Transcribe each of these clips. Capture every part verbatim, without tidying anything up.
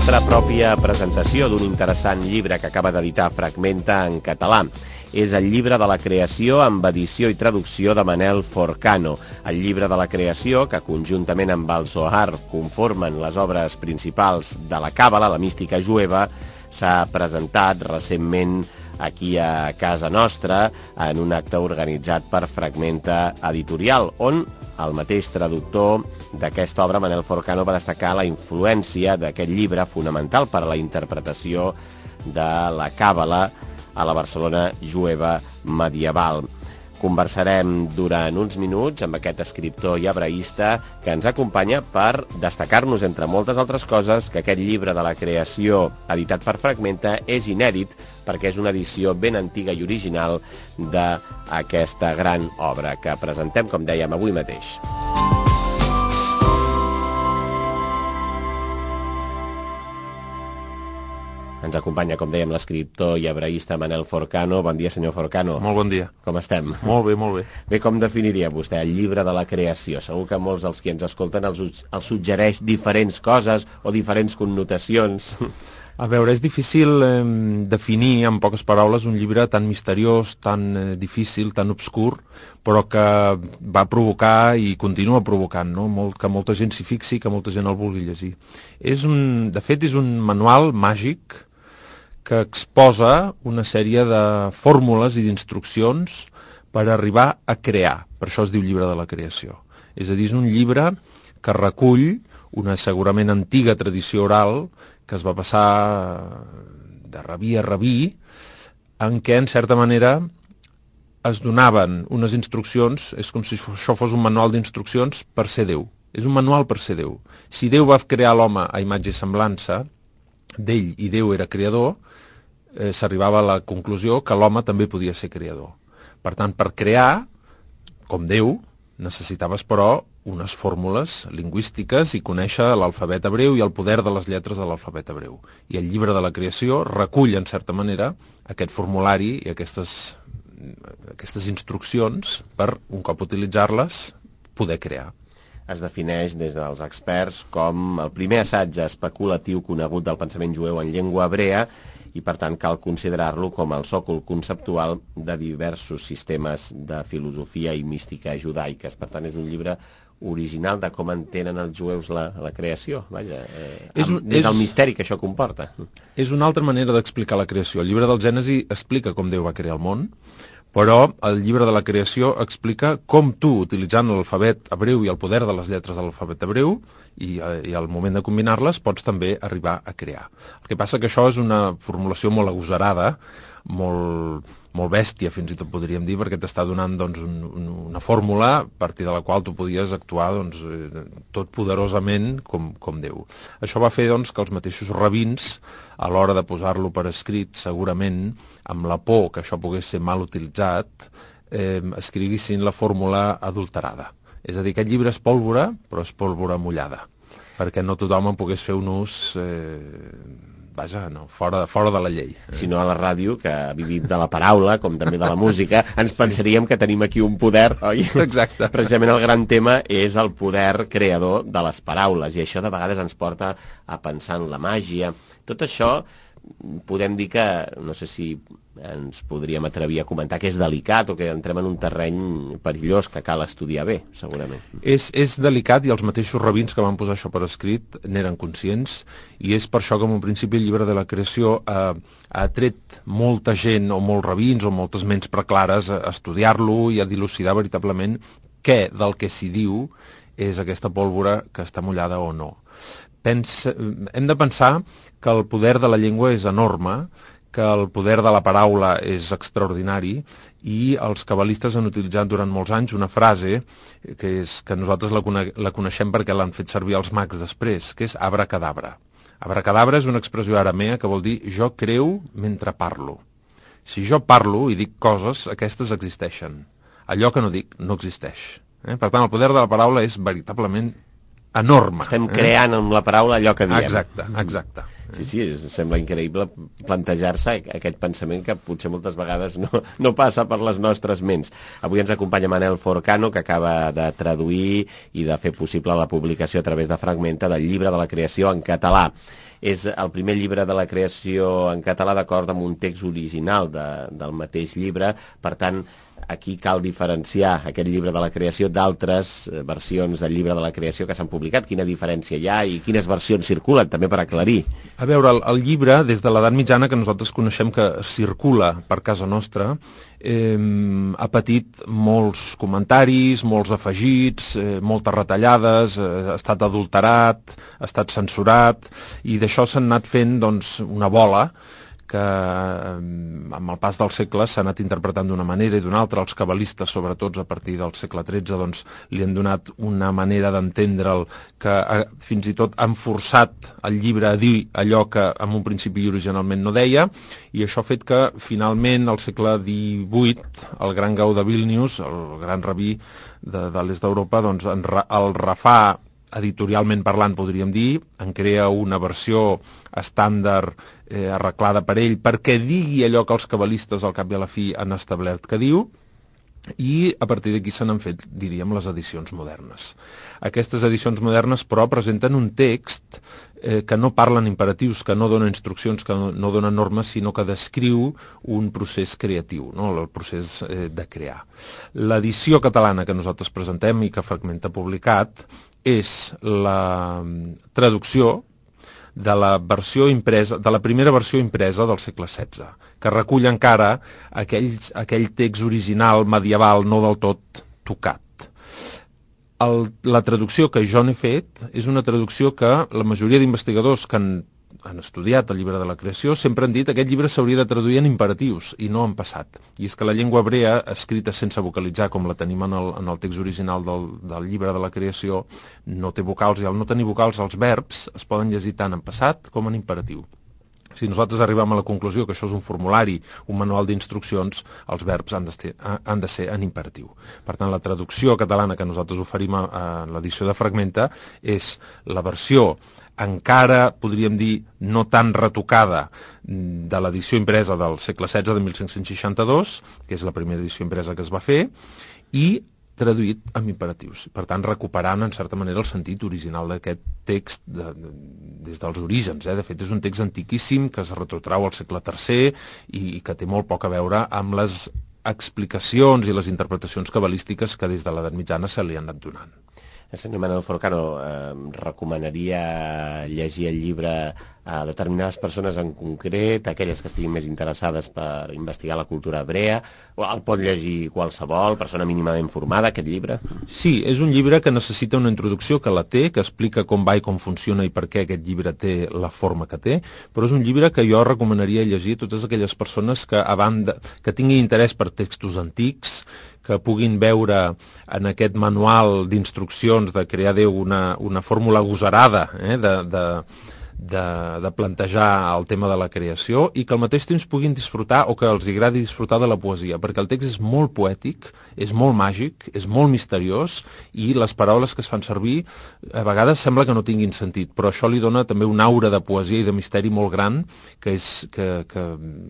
nostra pròpia presentació d'un interessant llibre que acaba d'editar Fragmenta en català. És el llibre de la creació amb edició i traducció de Manel Forcano. El llibre de la creació, que conjuntament amb el Zohar conformen les obres principals de la Càbala, la mística jueva, s'ha presentat recentment aquí a casa nostra en un acte organitzat per Fragmenta Editorial, on el mateix traductor d'aquesta obra, Manel Forcano, va destacar la influència d'aquest llibre fonamental per a la interpretació de la Càbala a la Barcelona jueva medieval. Conversarem durant uns minuts amb aquest escriptor i hebraista que ens acompanya per destacar-nos, entre moltes altres coses, que aquest llibre de la creació editat per Fragmenta és inèdit perquè és una edició ben antiga i original d'aquesta gran obra que presentem, com dèiem, avui mateix. Ens acompanya, com dèiem, l'escriptor i hebraista Manel Forcano. Bon dia, senyor Forcano. Molt bon dia. Com estem? Molt bé, molt bé. Bé, com definiria vostè el llibre de la creació? Segur que molts dels que ens escolten els, els suggereix diferents coses o diferents connotacions. A veure, és difícil eh, definir en poques paraules un llibre tan misteriós, tan eh, difícil, tan obscur, però que va provocar i continua provocant, no? Molt, que molta gent s'hi fixi, que molta gent el vulgui llegir. És un, de fet, és un manual màgic que exposa una sèrie de fórmules i d'instruccions per arribar a crear. Per això es diu llibre de la creació. És a dir, és un llibre que recull una segurament antiga tradició oral que es va passar de rabí a rabí, en què, en certa manera, es donaven unes instruccions, és com si això fos un manual d'instruccions per ser Déu. És un manual per ser Déu. Si Déu va crear l'home a imatge i semblança d'ell i Déu era creador, eh, s'arribava a la conclusió que l'home també podia ser creador. Per tant, per crear, com Déu, necessitaves, però, unes fórmules lingüístiques i conèixer l'alfabet hebreu i el poder de les lletres de l'alfabet hebreu. I el llibre de la creació recull, en certa manera, aquest formulari i aquestes, aquestes instruccions per, un cop utilitzar-les, poder crear. Es defineix des dels experts com el primer assaig especulatiu conegut del pensament jueu en llengua hebrea i, per tant, cal considerar-lo com el sòcol conceptual de diversos sistemes de filosofia i mística judaiques. Per tant, és un llibre original de com entenen els jueus la, la creació, vaja, eh, és un, des del és, misteri que això comporta. És una altra manera d'explicar la creació. El llibre del Gènesi explica com Déu va crear el món, però el llibre de la creació explica com tu, utilitzant l'alfabet hebreu i el poder de les lletres de l'alfabet hebreu i, i al moment de combinar-les pots també arribar a crear. El que passa que això és una formulació molt agosarada, molt, molt bèstia, fins i tot podríem dir, perquè t'està donant doncs, un, un, una fórmula a partir de la qual tu podies actuar doncs, tot poderosament com, com Déu. Això va fer doncs, que els mateixos rabins, a l'hora de posar-lo per escrit, segurament, amb la por que això pogués ser mal utilitzat, eh, escrivissin la fórmula adulterada. És a dir, aquest llibre és pólvora, però és pólvora mullada, perquè no tothom en pogués fer un ús... Eh, Vaja, no, fora, fora de la llei. Si no, a la ràdio, que vivim de la paraula, com també de la música, ens pensaríem que tenim aquí un poder, oi? Exacte. Precisament el gran tema és el poder creador de les paraules, i això de vegades ens porta a pensar en la màgia. Tot això podem dir que, no sé si ens podríem atrevir a comentar que és delicat o que entrem en un terreny perillós que cal estudiar bé, segurament. És, és delicat i els mateixos rabins que van posar això per escrit n'eren conscients i és per això que en un principi el llibre de la creació eh, ha tret molta gent o molts rabins o moltes ments preclares a estudiar-lo i a dilucidar veritablement què del que s'hi diu és aquesta pólvora que està mullada o no. Pensa, hem de pensar que el poder de la llengua és enorme, que el poder de la paraula és extraordinari i els cabalistes han utilitzat durant molts anys una frase que, és, que nosaltres la, cone la coneixem perquè l'han fet servir els mags després, que és abracadabra. Abracadabra és una expressió aramea que vol dir jo creu mentre parlo. Si jo parlo i dic coses, aquestes existeixen. Allò que no dic no existeix. Eh? Per tant, el poder de la paraula és veritablement enorme. Estem creant amb la paraula allò que diem. Exacte, exacte. Sí, sí, és, sembla increïble plantejar-se aquest pensament que potser moltes vegades no, no passa per les nostres ments. Avui ens acompanya Manel Forcano, que acaba de traduir i de fer possible la publicació a través de Fragmenta del llibre de la creació en català. És el primer llibre de la creació en català d'acord amb un text original de, del mateix llibre, per tant, aquí cal diferenciar aquest llibre de la creació d'altres versions del llibre de la creació que s'han publicat. Quina diferència hi ha i quines versions circulen, també per aclarir. A veure, el, el llibre, des de l'edat mitjana, que nosaltres coneixem que circula per casa nostra, eh, ha patit molts comentaris, molts afegits, eh, moltes retallades, eh, ha estat adulterat, ha estat censurat, i d'això s'han anat fent doncs, una bola que amb el pas dels segles s'ha anat interpretant d'una manera i d'una altra. Els cabalistes, sobretot a partir del segle tretze, doncs, li han donat una manera d'entendre'l que eh, fins i tot han forçat el llibre a dir allò que en un principi originalment no deia, i això ha fet que finalment al segle divuit el gran Gau de Vílnius, el gran rabí de, de l'est d'Europa, doncs, en, el refà editorialment parlant, podríem dir, en crea una versió estàndard eh, arreglada per ell perquè digui allò que els cabalistes al cap i a la fi han establert que diu, i a partir d'aquí se n'han fet, diríem, les edicions modernes. Aquestes edicions modernes, però, presenten un text eh, que no parlen imperatius, que no dona instruccions, que no, no dona normes, sinó que descriu un procés creatiu, no? El procés eh, de crear. L'edició catalana que nosaltres presentem i que Fragmenta ha publicat és la traducció de la versió impresa, de la primera versió impresa del segle setze, que recull encara aquells, aquell text original medieval no del tot tocat. El, la traducció que jo n'he fet és una traducció que la majoria d'investigadors que han, han estudiat el llibre de la creació sempre han dit que aquest llibre s'hauria de traduir en imperatius i no en passat. I és que la llengua hebrea, escrita sense vocalitzar com la tenim en el, en el text original del, del llibre de la creació, no té vocals, i al no tenir vocals els verbs es poden llegir tant en passat com en imperatiu. Si nosaltres arribem a la conclusió que això és un formulari, un manual d'instruccions, els verbs han de, ser, han de ser en imperatiu. Per tant, la traducció catalana que nosaltres oferim a, a l'edició de Fragmenta és la versió encara, podríem dir, no tan retocada de l'edició impresa del segle setze de mil cinc-cents seixanta-dos, que és la primera edició impresa que es va fer, i traduït amb imperatius. Per tant, recuperant, en certa manera, el sentit original d'aquest text de, de, des dels orígens. Eh? De fet, és un text antiquíssim que es retrotrau al segle tercer i, i que té molt poc a veure amb les explicacions i les interpretacions cabalístiques que des de l'edat mitjana se li han anat donant. Senyor Manel Forcano, eh, recomanaria llegir el llibre a determinades persones en concret, aquelles que estiguin més interessades per investigar la cultura hebrea, o el pot llegir qualsevol persona mínimament formada, aquest llibre? Sí, és un llibre que necessita una introducció, que la té, que explica com va i com funciona i per què aquest llibre té la forma que té, però és un llibre que jo recomanaria llegir a totes aquelles persones que, a banda, que tinguin interès per textos antics, que puguin veure en aquest manual d'instruccions de crear Déu una, una fórmula agosarada eh, de, de, de, de plantejar el tema de la creació, i que al mateix temps puguin disfrutar, o que els agradi disfrutar, de la poesia, perquè el text és molt poètic, és molt màgic, és molt misteriós, i les paraules que es fan servir a vegades sembla que no tinguin sentit, però això li dona també una aura de poesia i de misteri molt gran, que és que, que,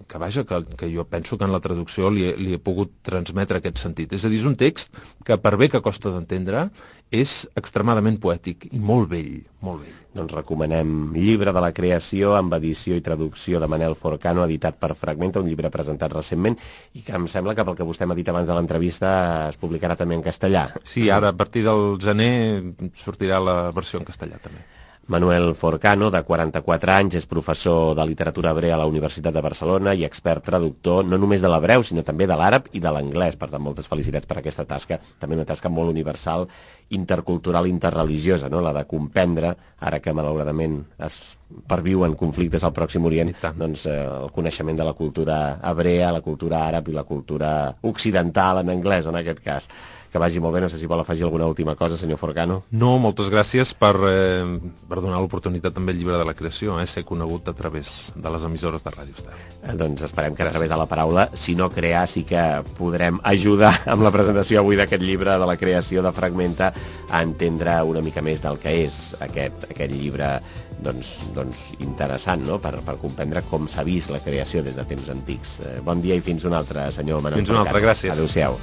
que vaja, que, que jo penso que en la traducció li he, li he pogut transmetre aquest sentit. És a dir, és un text que, per bé que costa d'entendre, és extremadament poètic i molt vell, molt vell. Doncs recomanem Llibre de la creació, amb edició i traducció de Manel Forcano, editat per Fragmenta, un llibre presentat recentment i que em sembla que, pel que vostè m'ha dit abans de l'entrevista, es publicarà també en castellà. Sí, ara a partir del gener sortirà la versió en castellà també. Manuel Forcano, de quaranta-quatre anys, és professor de literatura hebrea a la Universitat de Barcelona i expert traductor no només de l'hebreu, sinó també de l'àrab i de l'anglès. Per tant, moltes felicitats per aquesta tasca, també una tasca molt universal, intercultural, interreligiosa, no? La de comprendre, ara que malauradament es perviuen conflictes al Pròxim Orient, doncs eh, el coneixement de la cultura hebrea, la cultura àrab i la cultura occidental en anglès, en aquest cas. Que vagi molt bé, no sé si vol afegir alguna última cosa, senyor Forcano. No, moltes gràcies per, eh, per donar l'oportunitat també al Llibre de la Creació, eh, ser conegut a través de les emissores de Ràdio Estel. Eh, doncs esperem que a través de la paraula, si no crear, sí que podrem ajudar amb la presentació avui d'aquest Llibre de la Creació de Fragmenta, a entendre una mica més del que és aquest, aquest llibre doncs, doncs interessant, no? per, per comprendre com s'ha vist la creació des de temps antics. Eh, bon dia i fins un altre, senyor Manel. Fins un altre, gràcies. Adéu-siau.